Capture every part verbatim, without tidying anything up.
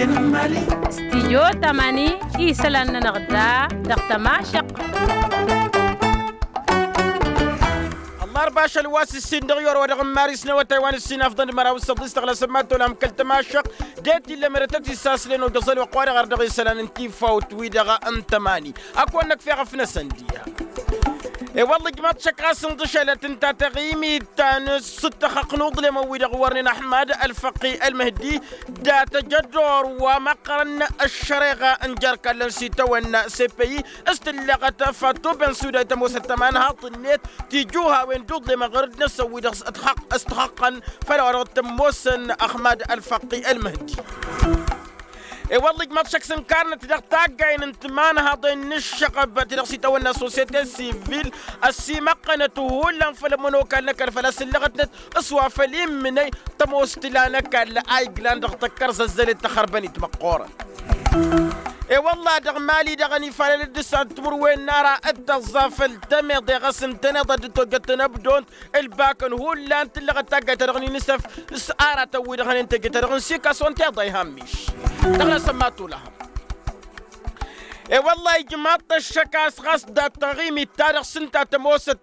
Stijyo tămani isălan-nănăɣ da dăɣ-tămašăq. Ăllarba ašăl wa s-issin dăɣ-i orăwădăɣ n-maris n-awătay wa n-issin afḍăn d-măraw s-săḍis tăɣlasăn ma tolăm kăl-tămašăq. De t-illa merătăt isaslăn ojăẓăl wa ăqq wa dăɣ-ar dăɣ-isălan n-tifawt wi-dăɣ n-tămani. Ad-kăwăn-năkf i-aɣăf-năsăn diha. E-wălla ijmaḍ-t šăkk ɣas ǝnḍǝšălăt ǝnta taɣimit ta n-sǝttăxăqq n-uḍlem wi-dăɣ wărnen ăḥmad ălfăqqi ălmăhdi. Dat-ăj ăddoor wa măqqărăn ăššăreɣa n-jer-kallăn s-itawănna s-e-păyyi s-tǝllăɣăt fattu ben suda i-tămoosăt tămanhaḍt-net. Tijuhawen d-uḍlem ăɣrǝd-năsăn wi-dăɣ s-ătxăqqăn făll-a-wa dăɣ-t tămoosăn ăxmad ălfăqqi ălmăhdi. E-wălla ijmaḍ šăkk s-ǝnkarnăt dăɣ-taggayăn n-timanhaḍen n-ǝššăɣăb ti-dăɣ s-itawănna sosyete sivil ăsimăqqănăt hullan făll-ămănokal n-ăkall făl-a-s ǝllăɣătnăt s-wa făll-immǝnăy tămoos tǝla n-ăkall a iglan dăɣ-tăkkărzăzzălet tăxărbănit măqqoorăn. E-wălla dăɣ-mali-dăɣ ănifalăl d-ǝssan timǝrwen n-ara d-tăẓẓa făll-tămeḍe ɣas ǝntăneḍ a dd-tojăt tănăbdont ǝlbakăn hullan tǝllăɣăt taggayt-ta-dăɣ n-inisăf s-aratăn-wi-dăɣ hănen teje-ta-dăɣ n-sikason tiḍa iha ămmiš. Dăɣ-năsăn ma tulăhăm. E-wălla ijmaḍ-t ăššăk a-s ɣas dat-taɣimit-ta-dăɣ s-ǝnta tămoosăt.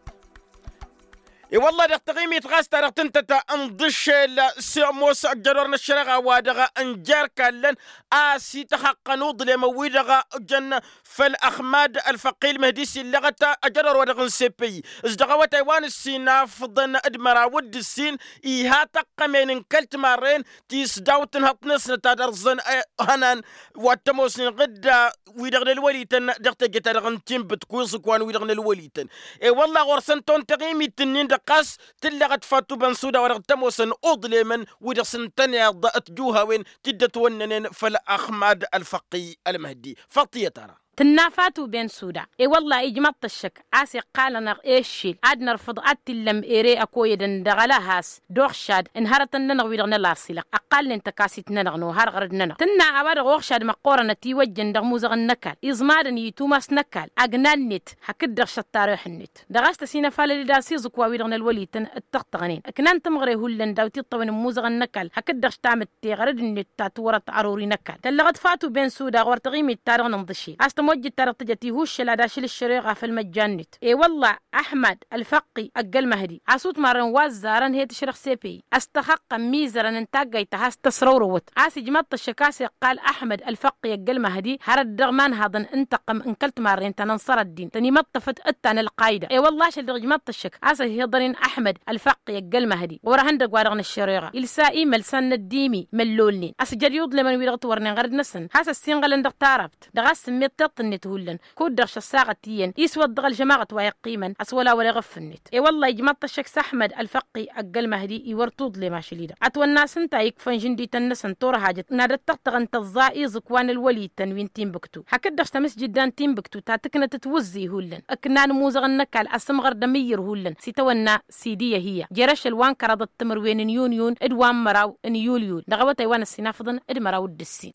E-wălla dăɣ-taɣimit ɣas ta dăɣ-tǝntăt ǝnḍǝšel s-ămoos ăjjădor n-ăššăreɣa wa dăɣ-n jer-kallăn a-s ităxăqqăn uḍlem wi-dăɣ jăn făll-ăxmad ălfăqqi ălmăhdi s-illăɣăt ăjădor wa dăɣ-n seppăyyi s-dăɣ-awătay wa n-ǝssin afǝḍăn d-măraw d-ǝssin. Iha tăqqămen n-kăl-timarren ti s-daw-tǝnhăḍt-năsnăt ad-ărẓăn hănan wa t-ămoosnen ɣǝdda wi-dăɣ n-ălwălităn dăɣ-teje-ta-dăɣ n-tinbǝtku iẓǝkwan wi-dăɣ n-ălwălităn. E-wălla ɣur-săn ton taɣimit-ǝnnin-dăɣ ɣas tǝllăɣăt fattu bănsuda wa dăɣ-t-ămoosăn uḍlemăn wi-dăɣ s-ǝntăneḍ tijuhawen ti dd-ătwănnănen făll-ăxmad ălfăqqi ălmăhdi. Făṭṭiyăt-ara. Tǝnna fatu ben suda e-wălla ijmăḍ-t ăššăk a-s iqqal-anăɣ eššel ad-nărfǝḍ ad-t-illăm ere ăkoyădăn dăɣ-ălahas d-oxšad n-hărătăn-nănăɣ wi-dăɣ n-ălaṣilăɣ ăqqalnen tăkasit-nănăɣ nohar ɣărăd-nănăɣ tǝnna a-wa-dăɣ oxšad măqqoorăn ătiwăjjăn dăɣ-imuzăɣăn n-ăkall iẓmadăn i-tumas n-ăkall agna-net hakd-dăɣ šăṭṭarex-net dăɣ-a-s tăsinăfalăl-dd a-s iẓǝkwa wi-dăɣ n-ălwălităn ǝttăɣtăɣnen ǝknan tǝmɣăre hullan daw-t iṭṭăwăn n-imuzăɣăn n-ăkall hakd-dăɣ štamǝtte ɣărăd-net ta tǝwărăt ărori n-ăkall tăllăɣăt fatu ben suda ɣur-taɣimit-ta-dăɣ n-inḍǝšel a-s tămojjit-ta-dăɣ tǝjăt ihuššăl ad-ašǝl ǝššăreɣa făll-măjjan-net. E-wălla ăḥmad ălfăqqi ăgg-ălmăhdi a-s utmarăn wa ăzzarăn he-tǝšrăɣ sepe-i ăstăxăqqăn imizărăn n-taggayt ta has-tăsrăwrăwăt a-s ijmăḍ-t ăššăk a-s iqqal ăḥmăd ălfăqqi ăgg-ălmăhdi hărăt dăɣ-imanhaḍăn n-tăqqǝm n-kăl-timarren ta n-ănṣărăt-din tăn-imăṭṭăfăt d-ta n-ălqayda. E-wălla ašăl-dăɣ ijmăḍ-t ăššăk a-s ăhiḍănen ăḥmăd ălfăqqi ăgg-ălmăhdi ɣur-ehăndăgg-wa-dăɣ n-ăššăreɣa ilsa imălsan n-ăddimi măllolnen ăsjăd i-uḍlemăn wi-dăɣ ǝtwărnen ɣărăd-năsăn has-ăssinɣălăn dăɣ-tarabt dăɣ-a-s sǝmmed tiṭṭ-net hullan kud-dăɣ šăssaɣăt iyyăn iswăḍ dăɣ-ălžămaɣăt wa iqqimăn ăswăla wăla iɣǝf-net. E-wălla ijmăḍ-t ăššăk s-ăḥmăd ălfăqqi ăgg-ălmăhdi iwăr tuḍlem ašăl-i-dăɣ ătwănna a-s ǝnta ikfăn žǝndităn-năsăn turhajăt n-ad-ăttăɣtăɣăn tăẓẓa iẓǝkwa n-ălwălităn wi n-tinbǝktu hakd-dăɣ s-tamǝsjǝdda n-tinbǝktu ta tǝknăt tawǝzzǝy hullan ǝknan imuzăɣăn n-ăkall asǝmɣăr d-amǝyyǝr hullan s-itawănna sidiyăhiyya jer-ašăl wa n-kăraḍăt timǝrwen n-yunyun d-wa n-măraw n-yulyul dăɣ-awătay wa n-ăssinafăḍăn d-măraw d-ǝssin.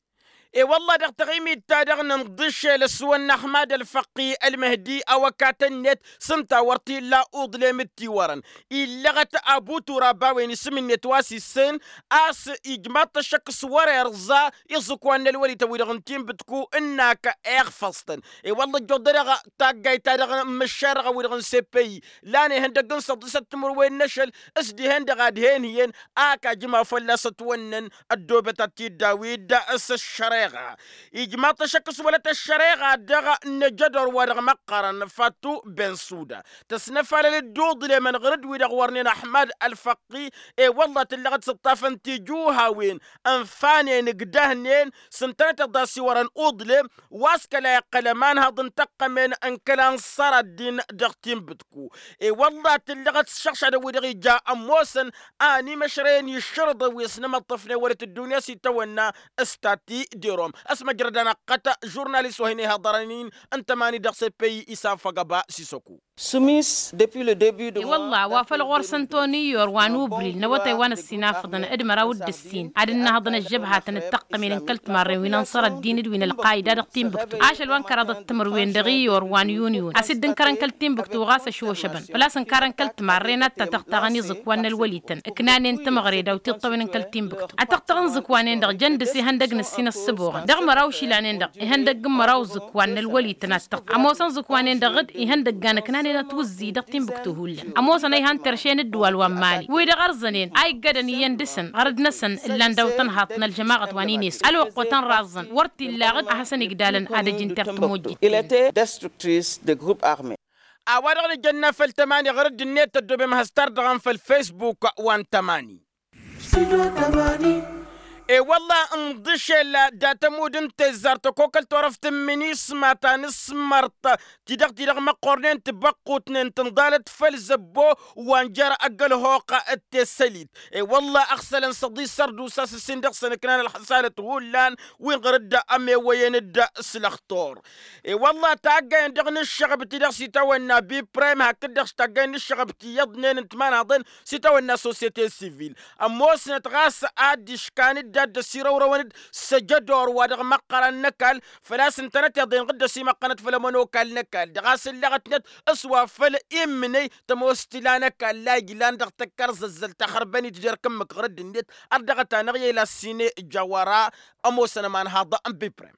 E-wălla dăɣ-taɣimit-ta-dăɣ n-inḍǝšel ăswănna ăxmad ălfăqqi ălmăhdi awăkatăn-net s-ǝnta wăr t-illa uḍlem d-tiwărăn illăɣăt abu turab a-wen isǝm-net wa s-issen a-s ijmaḍ-t ăššăk s-wăr-irẓa iẓǝkwan n-ălwălităn wi-dăɣ n-tinbǝtku ǝnn'-ak iɣfăẓ-tăn. E-wălla ăjjoḍăd-aɣ taggayt-ta-dăɣ n-imǝššarăɣăn wi-dăɣ n-seppăyyi lan ihăndăgg n-săḍisăt timǝrwen n-ašăl s-dihen-dăɣ ad-hen-hiyyăn ak ajǝma fălla-s ătwănnăn ăddoobăt ad-t-dd-awi-dd s-ăššăreɣa. Ijmaḍ-t ăššăk s-wălăt ăššăreɣa dăɣ-năjădor wa dăɣ-măqqărăn fattu ben suda tăsnăfalăl-dd uḍlemăn ɣǝr-dd wi-dăɣ wărnen ăḥmad ălfăqqi. E-wălla tǝllăɣăt s-ǝṭṭafăn tijuhawen ǝnfanen ǝgdăhnen s-ǝntănăteḍ a-s iwărăn uḍlem wa s-kăla iqqăl ămanhăḍ n-tăqqămen n-kăla n-sărăt-din dăɣ-tinbǝtku. E-wălla tǝllăɣăt s-išăɣšadăn wi-dăɣ ija ămoosăn a ănimăšrăyăn išrǝḍăn wi ăsnămăṭṭăfnen wăr-t ăddunya s-itawănna s-tati d-erom. Ăsmăjrăd anăqqăt žurnalist wa hin-ihaḍărăn-in n-tămani dăɣ-seppăy isafăgăba s-isăku. Sumis depuis le debut de i-wălla wa făl ɣur-săn toni i-or wa n-ubril n-awătay wa n-ăssinafăḍăn d-măraw d-ǝssin ad-ǝnnăhăḍăn ăžžăbhatăn d-tăqqămen n-kăl-timarren wi n-ănṣăr ăddin d-wi n-ălqayda dăɣ-tinbǝktu ašăl wa n-kăraḍăt timǝrwen dăɣ-i-or wa n-yuniyun a-s dd-ǝnkărăn kăl-tinbǝktu ɣas ăšošăbăn făl-a-s ǝnkarăn kăl-timarren ad-tatăɣtaɣăn iẓǝkwan n-ălwălităn ǝknanen timɣăre daw-tiṭṭăwen n-kăl-tinbǝktu ad-tăɣtăɣ n-iẓǝkwanen-dăɣ jăn dăɣ-s ihăndăg n-ǝssin ăssǝboɣăn dăɣ-măraw išilanen-dăɣ ihăndăg n-măraw iẓǝkwan n-ălwălităn ad-tăɣtăɣ ămoosăn iẓǝkwanen-dăɣ d-ihăndăggan ǝknanen ătwǝzzǝy dăɣ-tinbǝktu hullan ămoosăn a ihan terše n-ǝddǝwal wa n-mali wi-dăɣ ărzănen a iggădăn iyyăn dăɣ-săn ɣărăd-năsăn ǝllan daw-tănhaḍt n-ălžămaɣăt wa n-inesu ălwăqq wa tăn-raẓẓăn wăr t-illa aɣǝd a hasăn-igdalăn ad-ăj n-tertǝmojjit. Il-ete destructrice de grup arme. A-wa-dăɣ nǝjănna făll-tămani ɣărăd-net tăddobem has-tardăɣăm făll-facebook wa n-tămani. E-wălla ǝnḍǝšel dat-ămudd n-tezzar tăkokăl torăft n-minisma ta n-asmărt ti-dăɣ ti-dăɣ măqqornen tibăqqutnen tǝnḍalăt făll-zăbbo wa n-jer-ăgg-ălhoq d-tesălit. E-wălla ăɣsălăn săḍi sărdusa s-ǝssin dăɣ-săn ǝknan ălxăsalăt hullan wi n-ɣărăd ămewăyăn-dd s-lăxtur. E-wălla taggay-en-dăɣ n-ǝššăɣăb ti-dăɣ s-itawănna biprem hakd-dăɣ s-taggay n-ǝššăɣăb ti iyyăḍnen n-timanaḍen s-itawănna sosyete sivil ămoosnăt ɣas ad-dd-iškan-dd ad-dd-ăsirăwrăwăn-dd s-ăjădor wa dăɣ-măqqăran n-ăkall făl-a-s ǝntănăt iḍen ɣǝddăs imăqqănăt făll-ămănokal n-ăkall dăɣ-a-s ǝllăɣătnăt s-wa făl immǝnăy tămoos tila n-ăkall a ijlan dăɣ-tăkkărzăzzăl taxărbănit jer-kǝmmǝk ɣărădd-net. Ărdăɣăt-anăɣ i-lasine jawăra ămoosăn ămanhaḍ n-biprem.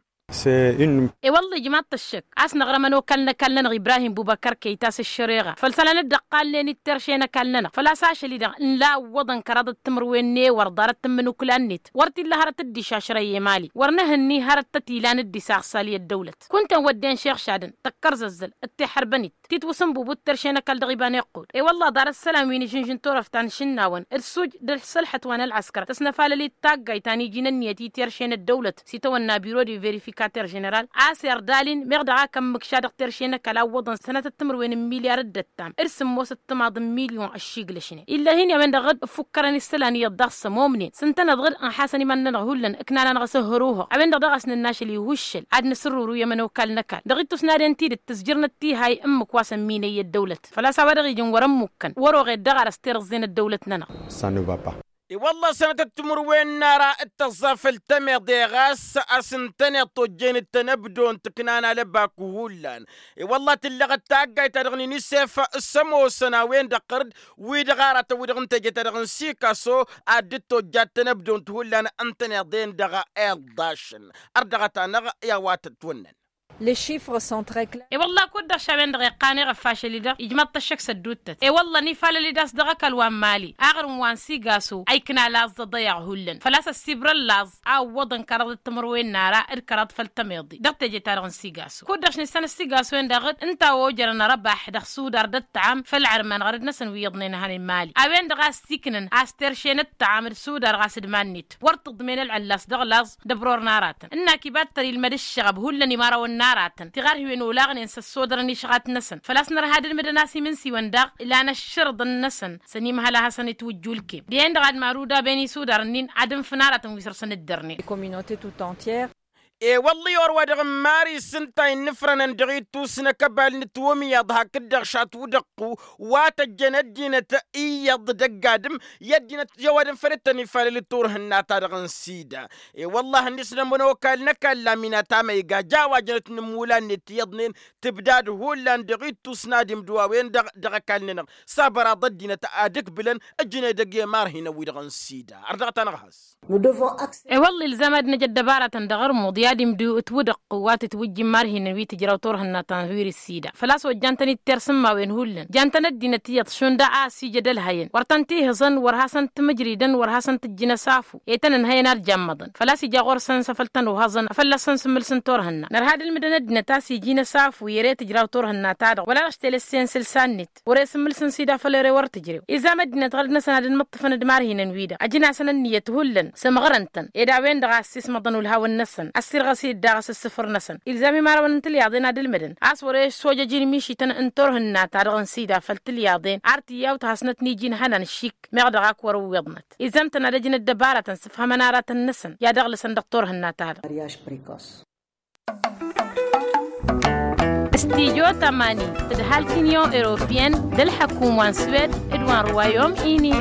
E-wălla ijmaḍ-t ăššăk a-s năɣrăm ănokal n-ăkall-nănăɣ ibrahim bubăkăr kăyta s-ăššăreɣa făll-isălan dd-ăqqalnen-dd terše n-ăkall-nănăɣ făl-a-s ašăl-i-dăɣ n-la ǝwwăḍăn kăraḍăt timǝrwen n-ewăr ḍarăt tǝmmǝnukla-net wăr t-illa hărăt dd-išašrăy i-mali wăr nǝhǝnni hărăt tăt-ilan dd-isaɣsal i-ăddăwlăt kunta n-wădden šixšadăn tăkkărzăzzăl d-tiḥărbănit titwǝsǝnbubut terše n-ăkall dăɣ-iba n-iqqud. E-wălla ḍarăt isălan wi n-ižǝnžǝn turăft ta n-išǝnnawăn d-suj d-ălsălḥăt wa n-ălɣăskăr tăsnăfalăl-i d-taggayt ta n-iji n-ǝnniyăt i-terše n-ăddăwlăt s-itawănna biro de verifikater ženeral a-s irdal-in meɣ dăɣ-ak ămmǝkša dăɣ-terše n-ăkall a ǝwwăḍăn sănatăt timǝrwen n-milyar d-ăttam d-sǝmmos d-timaḍ n-milyon ăššiglăšnen. Illa hin-i a-wen-dăɣ dd-ǝffukkărăn isălan iyyăḍ daɣ s-ămomnen s-ǝntăneḍ ɣǝd ǝnḥasăn iman-nănăɣ hullan ǝknan-anăɣ s-ǝhhăr uhăɣ a-wen-dăɣ daɣ a-s nǝnnašăl i-uššăl ad-nǝsǝrruru i-ămănokal n-ăkall dăɣ-ittus n-ad-ǝntidǝt tǝzjǝrnăt tihay ǝmmǝk wa s-ămminăy i-ăddăwlăt făl-a-s a-wa dăɣ-ijăn wăr-ămmukăn wăr-oɣed dăɣ-arăs tirǝẓẓe n-ăddăwlăt-nănăɣ. Săn va pa. I-wălla sănătăt timǝrwen n-ara d-tăẓẓa făll-temeḍe ɣas a-s ǝntăneḍ tojjen d-tănăbdont ǝknan alăbaku hullan. I-wălla tǝllăɣăt taggayt-ta-dăɣ n-inisef s-ămoosăn a-wen-dăɣ ɣărd wi-dăɣ aratăn wi-dăɣ n-teje-ta-dăɣ n-sikaso ad-dd-tojjat tănăbdont hullan ǝntăneḍ-en-dăɣ. Iḍḍašăn ărdăɣăt-anăɣ i-a-wa tătwănnăn. Les chiffres sont très clairs. E-wălla kud-dăɣ šawen-dăɣ iqqan eɣăf ašăl-i-dăɣ ijmaḍ-t ăššăk s-ădduuttăt e-wălla n-ifalăl-i d-a-s dăɣ-ăkall wa n-mali aɣrǝm wa n-sigaso a ikna laẓ d-aḍăyaɣ hullan făl-a-s ăssibra n-laẓ a ǝwwăḍăn kăraḍăt timǝrwen n-ara d-kăraḍ făll-tămeḍe dăɣ-teje-ta-dăɣ n-sigaso kud-dăɣ š-nǝssan ăssigaso-en-dăɣ ǝnta a ojărăn răbaḥ dăɣ-sudar d-ăṭṭăam făll-ărman ɣărăd-năsăn wi iyyăḍnen a hăn i-mali a-wen-dăɣ a ăssiiknăn a-s terše n-ăṭṭăam d-sudar ɣas d-iman-net wăr t-ǝḍmen ălɣăllas dăɣ-laẓ d-ăbror n-aratăn ǝnnak iba dd-tăr-ilmăd ǝššăɣăb hullan imărawăn n-aratăn tiɣarhiwen olaɣnen s-ăssodărăn išɣat-năsăn făl-a-s nărha d-ǝlmǝdăn a-s imǝnsiwăn daɣ ilan ăššărǝḍăn-năsăn s-ănimhăl a hasăn-itwǝjju ǝlkem dihen-dăɣ ad-maruda ben isudar-nin ad-ǝnfǝn aratăn wi săr-săn dd-ărnen. E-wălla i-or-wa-dăɣ n-mari s-ǝnta innǝfrănăn dăɣ-ittus n-akăbal n-ǝtwǝmyaḍ hakd-dăɣ šatwǝdăɣ wa tăjjăn ăddinăt iyyăḍ d-ăgg-adǝm i-ăddinăt i-ăwadǝm făll-dd-tăn-ifalăl d-turhǝnna-ta-dăɣ n-sida. E-wălla-hi ǝnnis n-ămănokal n-ăkall amina tamăyga ja wa jănăt n-ǝmmulan-net iyyăḍnen tǝbdad hullan dăɣ-ittus n-ad-imdǝw a-wen-dăɣ dăɣ-ăkall-nănăɣ s-abăraḍ ăddinăt ad-ǝkbǝlăn ǝjnăy dăgg-i ămarhinăn-wi-dăɣ n-sida. Ărdăɣăt-anăɣ has. E-wălla ilzam ad-năj ăddăbaratăn dăɣ-ărmuḍ i-ad-imdǝw ǝtwǝdăɣ wa tǝtwǝjjǝn marhinăn wi tǝjraw turhǝnna ta n-virǝs sida făl-a-s wa jan-tăn-dd-tersǝmmawen hullan jan-tăn ăddinăt iyyăḍ šund a-s ija d-ălhăyăn wăr tăn-tihǝẓăn wăr hasăn-tǝmǝjridăn wăr hasăn-tǝjjǝn ăsafu i-tăn-ǝnhăyăn ad-jammăḍăn făl-a-s ija ɣur-săn s-afăl tăn-uhăẓăn afăl ad-săn-sǝmmǝlsǝn turhǝnna nărha d-ǝlmǝdăn ăddinăt a-s iji n-ăsafu i-ere tǝjraw turhǝnna-ta-dăɣ wăla dăɣ-s telăssen sǝlsa-net wăr-e sǝmmǝlsăn sida făll-ere wăr tǝjrew izam ăddinăt ɣărăd-năsăn ad-ǝnmǝṭṭǝfăn d-marhinăn-wi-dăɣ ăjǝn-asăn ǝnniyăt hullan sămɣărăn-tăn ed a-wen-dăɣ a ăssiismăḍăn ulhawăn-năsăn ăssirɣăs-i-dd daɣ s-ǝssǝfǝr-năsăn ilzam imărawăn n-tilyaḍen ad-ǝlmǝdăn a-s wăr-e ăššojăj inmišităn n-turhǝnna-ta-dăɣ n-sida făll-tilyaḍen ar tiyyawt hasnăt n-iji n-ihănan šik meɣ dăɣ-ak wăr-ǝwwiḍnăt izam-tăn ad-ăjnăt dăbaratăn s-ǝfhămăn aratăn-năsăn i-ad-ăɣlǝsăn dăɣ-turhǝnna-ta-dăɣ. Mariaž prekos. Studyo tămani d-halk unyon europeyăn d-ălḥăkum wa n-swed d-wa n-ruwayom ini.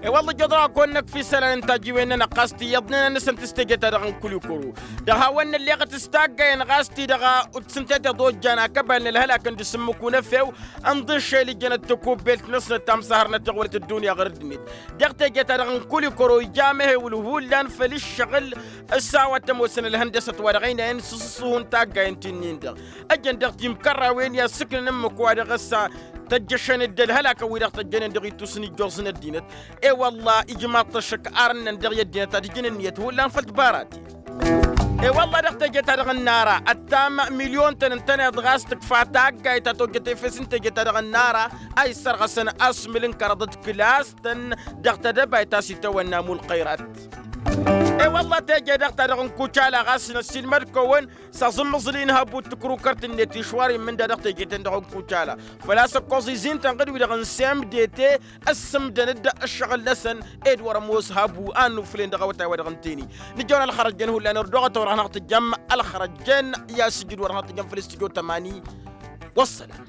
E-wălla ijăḍrăɣ-ak wănnăk f-isălan n-tajiwen-nănăɣ ɣas tiyyăḍnen ad-nǝsǝnt s-teje-ta-dăɣ n-kulikoro. Dăɣ-hawăn-nălleɣăt s-taggayen ɣas-ti-dăɣ, ǝtsǝntet iḍojjan akăbal n-ălhălak n-dăr-s ǝmmǝk unăfew ǝnḍǝššel ijjănăt takubbelt-năsnăt ta m-săhărnăt iɣwălăt ăddunya ɣur-ăddinăt. Dăɣ-teje-ta-dăɣ n-kulikoro ija amehewǝl hullan făll-ǝššăɣǝl. Ăssawa tămoosăn ălhăndăsăt wa dăɣ-ăynayăn s-ǝṣṣuhun taggayen ti-nin-dăɣ. Ăjjăn dăɣ-timkărrawen i-ad-sǝknăn ǝmmǝk-wa-dăɣ ăssa tăjjăšăn-dd ălhălakăn-wi-dăɣ tăjjănen dăɣ-itusǝn ijjoẓ n-ăddinăt. E-wălla ijmaḍ-t ăššăk arǝnnăn dăɣ-i ăddinăt ad-ǝjǝn ǝnniyăt hullan făll-tibarat. E-wălla dăɣ-teje-ta-dăɣ n-nara ăttam milyon-tăn ǝntăneḍ ɣas tǝkfa taggayt ta tojjăt efes n-teje-ta-dăɣ n-nara a issărɣăsăn asmǝl n-kăraḍăt kǝlas-tăn dăɣ-tedăbayt ta s-itawănna mulqăyrat. E-wălla teje-dăɣ-ta-dăɣ n-kucala ɣas năssiilmăd-kăwăn s-aẓǝmmăẓǝl-in hăbut tǝkrukărt-net išwar immǝnda dăɣ-teje-ten-dăɣ n-kucala făl-a-s ăkkoẓ izin-tăn ɣǝd-wi-dăɣ n-semdete ăssǝmdăn-dd ăššăɣǝl-năsăn. Ed wăr-ămoos hăbu a ănnufǝlen dăɣ-awătay-wa-dăɣ n-teni nǝjăwăn ălxărăjjăn hullan ărdăɣăt a wăr hanăɣ-tǝjjăm ălxărăjjăn i-ad-sǝjǝd wăr hanăɣ-tǝjjăm făll-studyo tămani. Wăssălam.